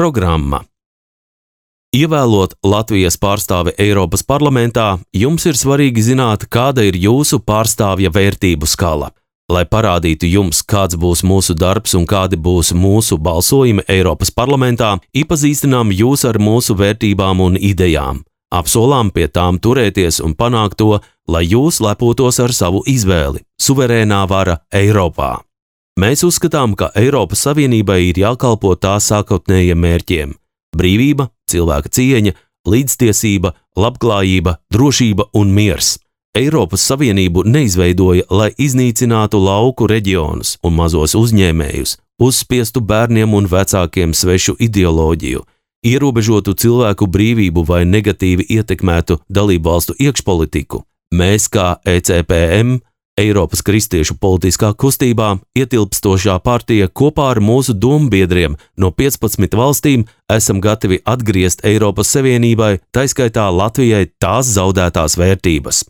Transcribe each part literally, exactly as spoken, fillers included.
Programma. Ievēlot Latvijas pārstāvi Eiropas parlamentā, jums ir svarīgi zināt, kāda ir jūsu pārstāvja vērtību skala. Lai parādītu jums, kāds būs mūsu darbs un kādi būs mūsu balsojumi Eiropas parlamentā, iepazīstinām jūs ar mūsu vērtībām un idejām. Apsolām pie tām turēties un panākt to, lai jūs lepotos ar savu izvēli – suverēnā vara Eiropā. Mēs uzskatām, ka Eiropas Savienībai ir jākalpo tās sākotnējiem mērķiem – brīvība, cilvēka cieņa, līdztiesība, labklājība, drošība un miers. Eiropas Savienību neizveidoja, lai iznīcinātu lauku reģionus un mazos uzņēmējus, uzspiestu bērniem un vecākiem svešu ideoloģiju, ierobežotu cilvēku brīvību vai negatīvi ietekmētu dalībvalstu iekšpolitiku. Mēs kā E C P M, Eiropas kristiešu politiskā kustībā, ietilpstošā partija kopā ar mūsu dombiedriem no piecpadsmit valstīm esam gatavi atgriezt Eiropas Savienībai, taiskaitā Latvijai, tās zaudētās vērtības.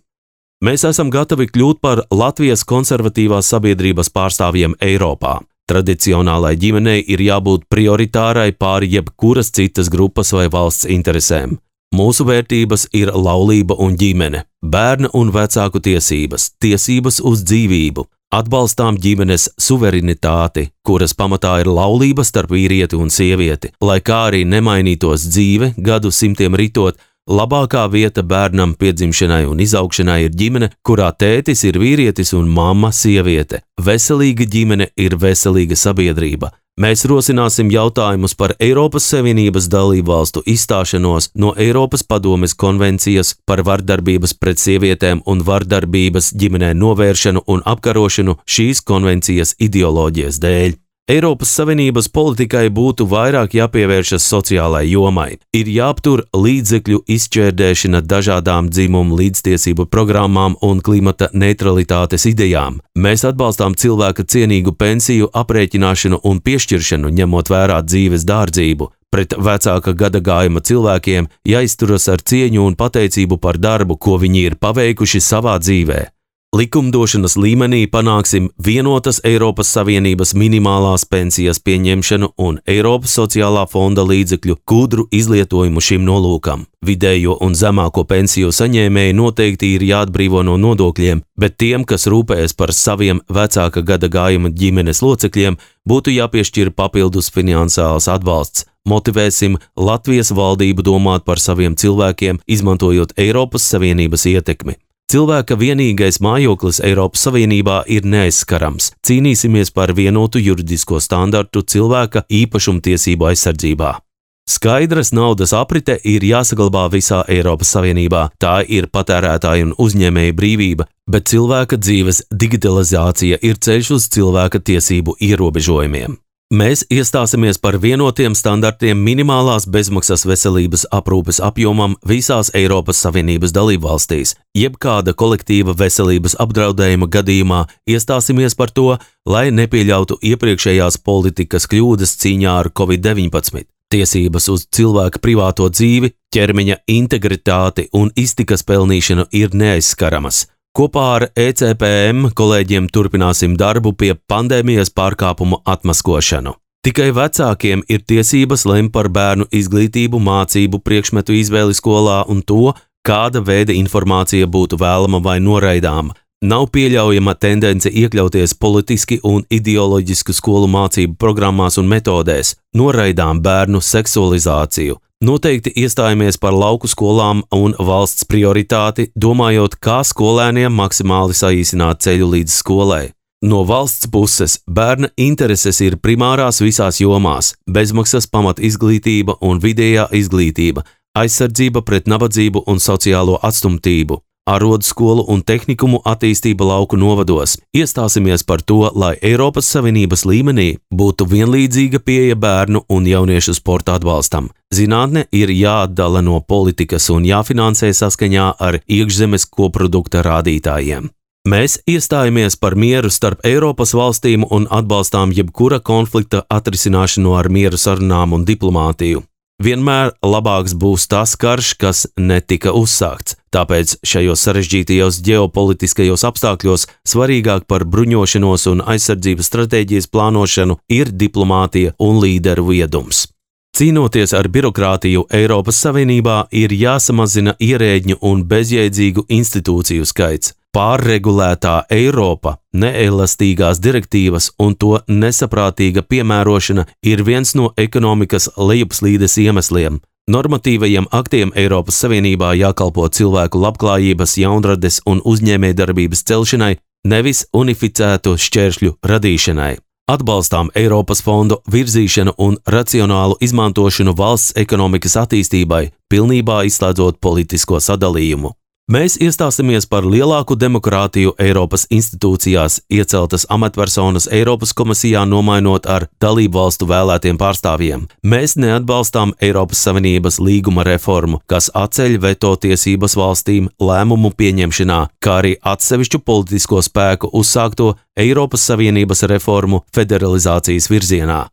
Mēs esam gatavi kļūt par Latvijas konservatīvās sabiedrības pārstāvjiem Eiropā. Tradicionālai ģimenei ir jābūt prioritārai pāri jebkuras citas grupas vai valsts interesēm. Mūsu vērtības ir laulība un ģimene, bērna un vecāku tiesības, tiesības uz dzīvību, atbalstām ģimenes suverenitāti, kuras pamatā ir laulība starp vīrieti un sievieti, lai kā arī nemainītos dzīve, gadu simtiem ritot, labākā vieta bērnam piedzimšanai un izaugšanai ir ģimene, kurā tētis ir vīrietis un mamma sieviete. Veselīga ģimene ir veselīga sabiedrība. Mēs rosināsim jautājumus par Eiropas Savienības dalību valstu izstāšanos no Eiropas padomes konvencijas par vardarbības pret sievietēm un vardarbības ģimenē novēršanu un apkarošanu šīs konvencijas ideoloģijas dēļ. Eiropas Savienības politikai būtu vairāk jāpievēršas sociālai jomai. Ir jāaptur līdzekļu izšķērdēšana dažādām dzimumu līdztiesību programmām un klimata neutralitātes idejām. Mēs atbalstām cilvēka cienīgu pensiju aprēķināšanu un piešķiršanu, ņemot vērā dzīves dārdzību. Pret vecāka gadagājuma cilvēkiem jāizturas ar cieņu un pateicību par darbu, ko viņi ir paveikuši savā dzīvē. Likumdošanas līmenī panāksim vienotas Eiropas Savienības minimālās pensijas pieņemšanu un Eiropas sociālā fonda līdzekļu gudru izlietojumu šim nolūkam. Vidējo un zemāko pensiju saņēmēji noteikti ir jāatbrīvo no nodokļiem, bet tiem, kas rūpējas par saviem vecāka gadagājuma ģimenes locekļiem, būtu jāpiešķir papildus finansiāls atbalsts. Motivēsim Latvijas valdību domāt par saviem cilvēkiem, izmantojot Eiropas Savienības ietekmi. Cilvēka vienīgais mājoklis Eiropas Savienībā ir neaizskarams. Cīnīsimies par vienotu juridisko standartu cilvēka īpašumtiesību aizsardzībā. Skaidras naudas aprite ir jāsaglabā visā Eiropas Savienībā. Tā ir patērētāju un uzņēmēju brīvība, bet cilvēka dzīves digitalizācija ir ceļš uz cilvēka tiesību ierobežojumiem. Mēs iestāsimies par vienotiem standartiem minimālās bezmaksas veselības aprūpes apjomam visās Eiropas Savienības dalībvalstīs. Jebkāda kolektīva veselības apdraudējuma gadījumā iestāsimies par to, lai nepieļautu iepriekšējās politikas kļūdas cīņā ar covid deviņpadsmit. Tiesības uz cilvēka privāto dzīvi, ķermeņa integritāti un iztikas pelnīšanu ir neaizskaramas. Kopā ar E C P M kolēģiem turpināsim darbu pie pandēmijas pārkāpumu atmaskošanu. Tikai vecākiem ir tiesības lemt par bērnu izglītību, mācību, priekšmetu izvēli skolā un to, kāda veida informācija būtu vēlama vai noraidāma. Nav pieļaujama tendence iekļauties politiski un ideoloģisku skolu mācību programmās un metodēs. Noraidām bērnu seksualizāciju. Noteikti iestājamies par lauku skolām un valsts prioritāti, domājot, kā skolēniem maksimāli saīsināt ceļu līdz skolai. No valsts puses bērna intereses ir primārās visās jomās – bezmaksas pamat izglītība un vidējā izglītība, aizsardzība pret nabadzību un sociālo atstumtību, arodu skolu un tehnikumu attīstība lauku novados. Iestāsimies par to, lai Eiropas Savienības līmenī būtu vienlīdzīga pieeja bērnu un jauniešu sporta atbalstam. Zinātne ir jāatdala no politikas un jāfinansē saskaņā ar iekšzemes koprodukta rādītājiem. Mēs iestājamies par mieru starp Eiropas valstīm un atbalstām jebkura konflikta atrisināšanu ar mieru sarunām un diplomātiju. Vienmēr labāks būs tas karš, kas netika uzsākts. Tāpēc šajos sarežģītajos ģeopolitiskajos apstākļos svarīgāk par bruņošanos un aizsardzības stratēģijas plānošanu ir diplomātija un līderu viedums. Cīnoties ar birokrātiju Eiropas Savienībā, ir jāsamazina ierēģņu un bezjēdzīgu institūciju skaits. Pārregulētā Eiropa, neelastīgās direktīvas un to nesaprātīga piemērošana ir viens no ekonomikas lejupslīdes iemesliem. Normatīvajiem aktiem Eiropas Savienībā jākalpo cilvēku labklājības, jaunrades un uzņēmējdarbības celšanai, nevis unificētu šķēršļu radīšanai. Atbalstām Eiropas fondu virzīšanu un racionālu izmantošanu valsts ekonomikas attīstībai, pilnībā izslēdzot politisko sadalījumu. Mēs iestāsimies par lielāku demokrātiju Eiropas institūcijās, ieceltas amatpersonas Eiropas komisijā nomainot ar dalību valstu vēlētiem pārstāvjiem. Mēs neatbalstām Eiropas Savienības līguma reformu, kas atceļ veto tiesības valstīm lēmumu pieņemšanā, kā arī atsevišķu politisko spēku uzsākto Eiropas Savienības reformu federalizācijas virzienā.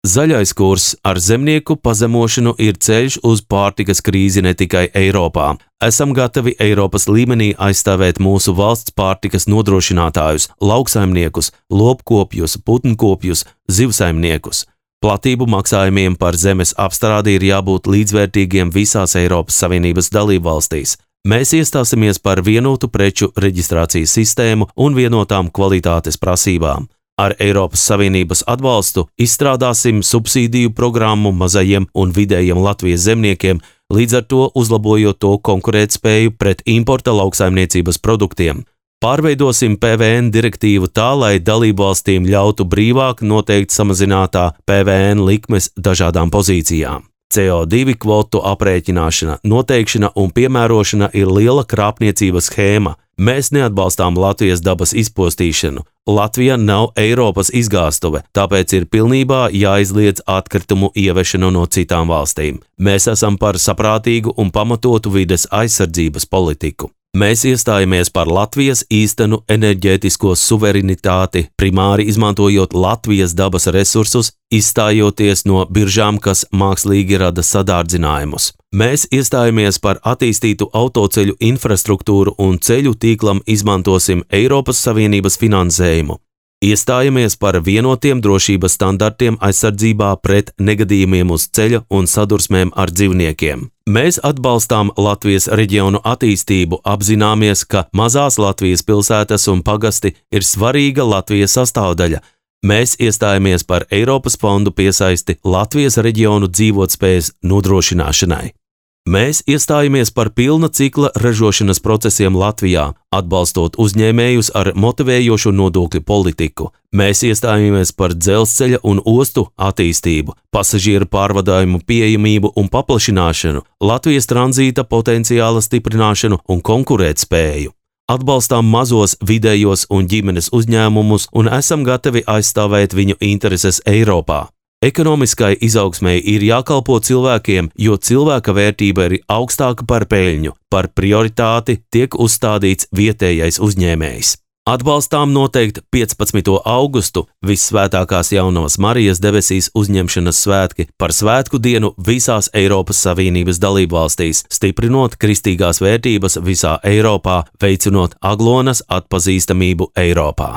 Zaļais kurs ar zemnieku pazemošanu ir ceļš uz pārtikas krīzi ne tikai Eiropā. Esam gatavi Eiropas līmenī aizstāvēt mūsu valsts pārtikas nodrošinātājus, lauksaimniekus, lopkopjus, putnkopjus, zivsaimniekus. Platību maksājumiem par zemes apstrādi ir jābūt līdzvērtīgiem visās Eiropas Savienības dalībvalstīs. Mēs iestāsimies par vienotu preču reģistrācijas sistēmu un vienotām kvalitātes prasībām. Ar Eiropas Savienības atbalstu izstrādāsim subsīdiju programmu mazajiem un vidējiem Latvijas zemniekiem, līdz ar to uzlabojot to konkurētspēju pret importa lauksaimniecības produktiem. Pārveidosim P V N direktīvu tā, lai dalībvalstīm ļautu brīvāk noteikt samazinātā P V N likmes dažādām pozīcijām. C O divi kvotu aprēķināšana, noteikšana un piemērošana ir liela krāpniecības schēma. Mēs neatbalstām Latvijas dabas izpostīšanu. Latvija nav Eiropas izgāstuve, tāpēc ir pilnībā jāizliedz atkritumu ievešanu no citām valstīm. Mēs esam par saprātīgu un pamatotu vides aizsardzības politiku. Mēs iestājamies par Latvijas īstenu enerģētisko suverenitāti, primāri izmantojot Latvijas dabas resursus, izstājoties no biržām, kas mākslīgi rada sadārdzinājumus. Mēs iestājamies par attīstītu autoceļu infrastruktūru un ceļu tīklam izmantosim Eiropas Savienības finansējumu. Iestājamies par vienotiem drošības standartiem aizsardzībā pret negadījumiem uz ceļa un sadursmēm ar dzīvniekiem. Mēs atbalstām Latvijas reģionu attīstību, apzināmies, ka mazās Latvijas pilsētas un pagasti ir svarīga Latvijas sastāvdaļa. Mēs iestājamies par Eiropas fondu piesaisti Latvijas reģionu dzīvotspējas nodrošināšanai. Mēs iestājamies par pilna cikla ražošanas procesiem Latvijā, atbalstot uzņēmējus ar motivējošu nodokļu politiku. Mēs iestājamies par dzelzceļa un ostu attīstību, pasažieru pārvadājumu pieejamību un paplašināšanu, Latvijas tranzīta potenciāla stiprināšanu un konkurētspēju. Atbalstām mazos, vidējos un ģimenes uzņēmumus un esam gatavi aizstāvēt viņu intereses Eiropā. Ekonomiskai izaugsmei ir jākalpo cilvēkiem, jo cilvēka vērtība ir augstāka par peļņu. Par prioritāti tiek uzstādīts vietējais uzņēmējs. Atbalstām noteikt piecpadsmito augustu Vissvētākās Jaunavas Marijas debesīs uzņemšanas svētki par svētku dienu visās Eiropas Savienības dalībvalstīs, stiprinot kristīgās vērtības visā Eiropā, veicinot aglonas atpazīstamību Eiropā.